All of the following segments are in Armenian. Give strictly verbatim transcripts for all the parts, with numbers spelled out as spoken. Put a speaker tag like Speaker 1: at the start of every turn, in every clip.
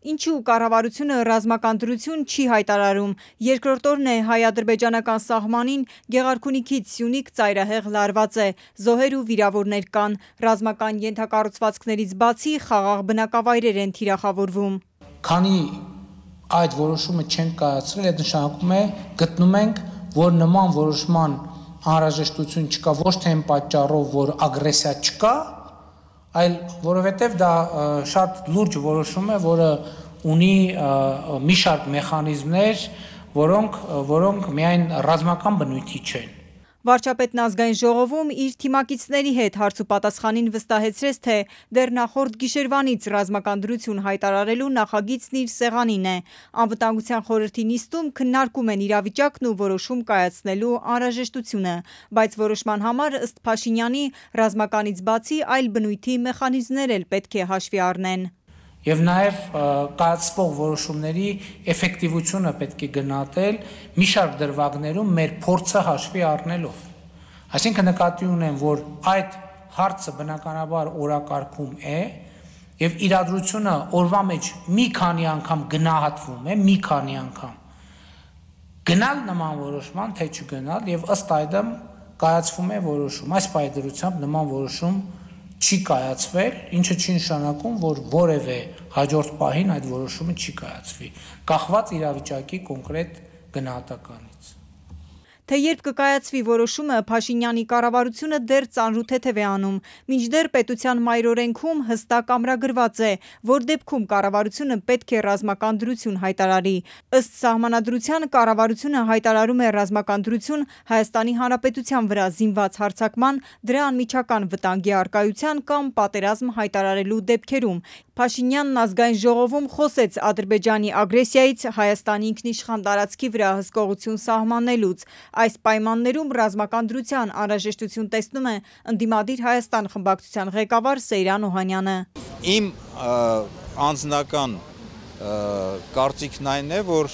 Speaker 1: Ինչու կառավարությունը ռազմական դրություն չի հայտարարում։ Երկրորդ օրն է հայ-ադրբեջանական սահմանին Գեղարքունիքից Սյունիք ծայրահեղ լարված է, զոհեր ու վիրավորներ կան, ռազմական ենթակառուցվածքներից բացի խաղաղ բնակավայրեր են թիրախավորվում։
Speaker 2: Քանի այդ որոշումը չենք կայացրել, այդ նշանակում է գտնում ենք, որ նման որոշման անհրաժեշտություն չկա ոչ թե այն պատճառով, որ ագրեսիա չկա, այլ որովհետև դա շատ լուրջ որոշում է, որը ունի մի շարք մեխանիզմներ, որոնք, որոնք միայն ռազմական բնույթի չեն։
Speaker 1: Վարչապետն ազգային ժողովում իր թիմակիցների հետ հարց ու պատասխանին վստահեցրեց, թե դեռ նախորդ գիշերվանից ռազմական դրություն հայտարարելու նախագիծն իր սեղանին է։ Անվտանգության խորհրդի նիստում քննարկում են իրավիճակն ու որոշում կայացնելու անհրաժեշտությունը, բայց որոշման համար ըստ Փաշինյանի ռազմականից բացի այլ բնույթի մեխանիզմներ էլ պետք է հաշվի առնեն։
Speaker 2: Եվ նաև կայացվող որոշումների էֆեկտիվությունը պետք է գնահատել մի շարք դրվագներում մեր փորձը հաշվի առնելով։ Այսինքն նկատի ունեմ, որ այդ հարցը բնականաբար օրակարգում է եւ իրադրությունը օրվա մեջ մի քանի անգամ գնահատվում է, մի քանի անգամ գնալ նման որոշման, թե չգնալ, եւ ըստ այդմ կայացվում է որոշում։ Այս պայմանությամբ նման որոշում չի կայացվել, ինչը չի նշանակում, որ որևէ հաջորդ պահին այդ որոշումը չի կայացվի, կախված իրավիճակի կոնկրետ գնահատականից։
Speaker 1: Թե երբ կկայացվի որոշումը, Փաշինյանի կառավարությունը դեռ ծանրութեթև է անում, մինչդեռ պետության մայրօրենքում հստակ ամրագրված է, որ դեպքում կառավարությունը պետք է ռազմական դրություն հայտարարի։ Ըստ սահմանադրության կառավարությունը հայտարարում է ռազմական դրություն Հայաստանի Հանրապետության վրա զինված հարձակման, դրա անմիջական վտանգի առկայության կամ պատերազմ հայտարարելու դեպքերում։ Փաշինյանն ազգային ժողովում խոսեց Ադրբեջանի ագրեսիայից Հայաստանի ինքնիշխան տարածքի վրա հսկողություն սահմանելուց։ Այս պայմաններում ռազմական դրության անհրաժեշտություն տեսնում է ընդդիմադիր Հայաստան խմբակցության ղեկավար Սեյրան Օհանյանը։
Speaker 3: Իմ անձնական կարծիքն այն է, որ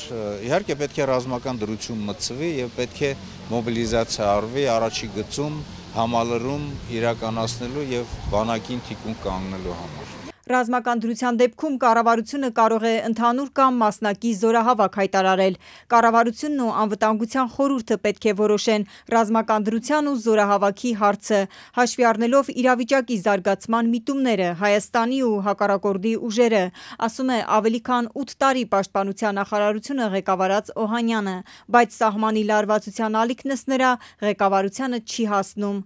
Speaker 3: իհարկե պետք է ռազմական դրություն մտցվի եւ պետք է մոբիլիզացիա արվի առաջի գծում համալրում իրականացնելու եւ բանակին թիկուն կանգնելու համար։
Speaker 1: Ռազմական դրության դեպքում կառավարությունը կարող է ընդհանուր կամ մասնակի զորահավաք հայտարարել։ Կառավարությունն ու անվտանգության խորհուրդը պետք է որոշեն ռազմական դրության ու զորահավաքի հարցը, հաշվի առնելով իրավիճակի զարգացման միտումները, Հայաստանի ու հակառակորդի ուժերը, ասում է ավելի քան ութ տարի պաշտպանության նախարարությունը ղեկավարած Օհանյանը, բայց սահմանի լարվածության ալիքն ըստ նրա ղեկավարությանը չի հասնում։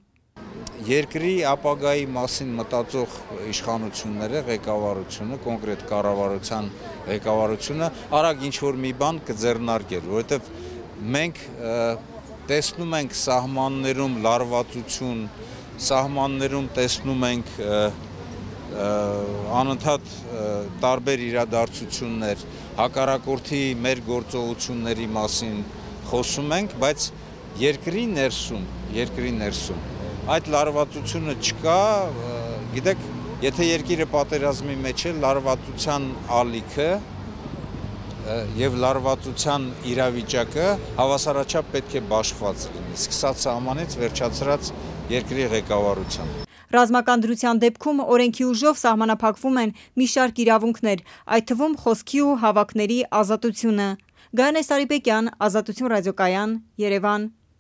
Speaker 3: Երկրի ապագայի մասին մտածող իշխանությունները, ղեկավարությունը, կոնկրետ կառավարության ղեկավարությունը արագ ինչ-որ մի բան կձեռնարկել, որովհետև մենք տեսնում ենք սահմաններում լարվածություն, սահմաններում տեսնում ենք անընդհատ տարբեր իրադարձություններ, հակառակորդի մեր գործողությունների մասին խոսում ենք, բայց երկրի ներսում, երկրի ներսում այդ լարվածությունը չկա, գիտեք, եթե երկիրը պատերազմի մեջ է, լարվածության ալիքը եւ լարվածության իրավիճակը հավասարաչափ պետք է բաշխված լինի, սկսած սահմանից վերջացրած երկրի ղեկավարությամբ։
Speaker 1: Ռազմական դրության դեպքում օրենքի ուժով սահմանափակվում են մի շարք իրավունքներ, այդ թվում խոսքի ու հավաքների ազատությունը։ Գայանե Սարիբեկյան, Ազատություն ռադիոկայան, Երևան։